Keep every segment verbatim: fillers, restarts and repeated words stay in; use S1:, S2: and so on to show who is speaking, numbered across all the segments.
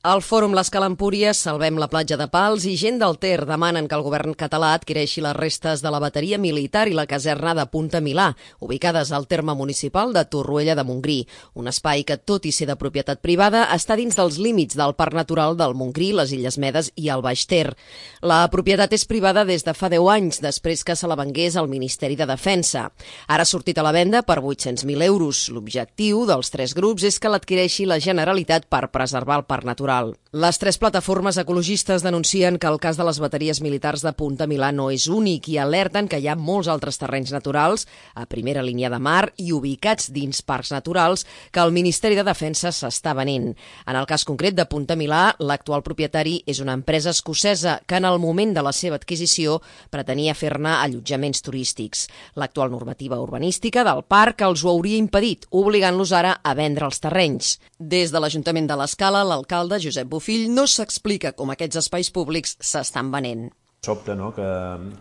S1: Al Fòrum l'Escala Empúries, Salvem la platja de Pals i gent del Ter demanen que el govern català adquireixi les restes de la bateria militar i la caserna de Punta Milà, ubicades al terme municipal de Torroella de Montgrí, un espai que, tot i ser de propietat privada, està dins dels límits del Parc Natural del Montgrí, les Illes Medes i el Baix Ter. La propietat és privada des de fa deu anys, després que se la vengués al Ministeri de Defensa. Ara ha sortit a la venda per vuit-cents mil euros. L'objectiu dels tres grups és que l'adquireixi la Generalitat per preservar el parc natural. Les tres plataformes ecologistes denuncien que el cas de les bateries militars de Punta Milà no és únic i alerten que hi ha molts altres terrenys naturals a primera línia de mar i ubicats dins parcs naturals que el Ministeri de Defensa s'està venent. En el cas concret de Punta Milà, l'actual propietari és una empresa escocesa que en el moment de la seva adquisició pretenia fer-ne allotjaments turístics. L'actual normativa urbanística del parc els ho hauria impedit, obligant-los ara a vendre els terrenys. Des de l'Ajuntament de l'Escala, l'alcalde Josep Bofill no s'explica com aquests espais públics s'estan venent.
S2: Sobta, no?, que,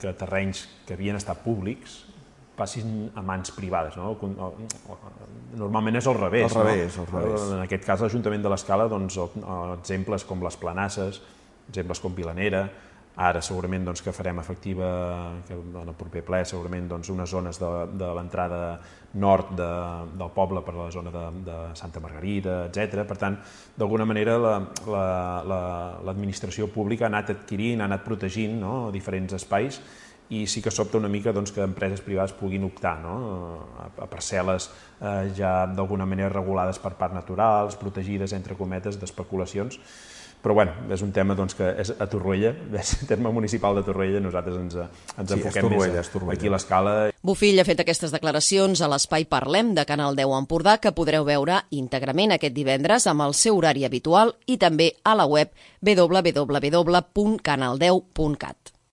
S2: que terrenys que havien estat públics passin a mans privades. No? Normalment és al revés.
S3: Al revés,
S2: no?
S3: al revés.
S2: En aquest cas, l'Ajuntament de l'Escala, doncs, exemples com les Planasses, exemples com Vilanera, ara segurament doncs, que farem efectiva, que en el proper ple, segurament doncs, unes zones de, de l'entrada nord de, del poble per la zona de, de Santa Margarida, etcètera. Per tant, d'alguna manera l'administració la, la, pública ha anat adquirint, ha anat protegint, no?, diferents espais, i sí que sobta una mica doncs, que empreses privades puguin optar, no?, a, a parcel·les eh, ja d'alguna manera regulades per parcs naturals, protegides entre cometes d'especulacions. Però bueno, és un tema doncs, que és a Torroella, és el terme municipal de Torroella, nosaltres ens, ens
S3: sí,
S2: enfoquem
S3: Torroella,
S2: més a, aquí a l'Escala.
S1: Bofill ha fet aquestes declaracions a l'espai Parlem de Canal deu Empordà, que podreu veure íntegrament aquest divendres amb el seu horari habitual i també a la web w w w punt canal deu punt cat.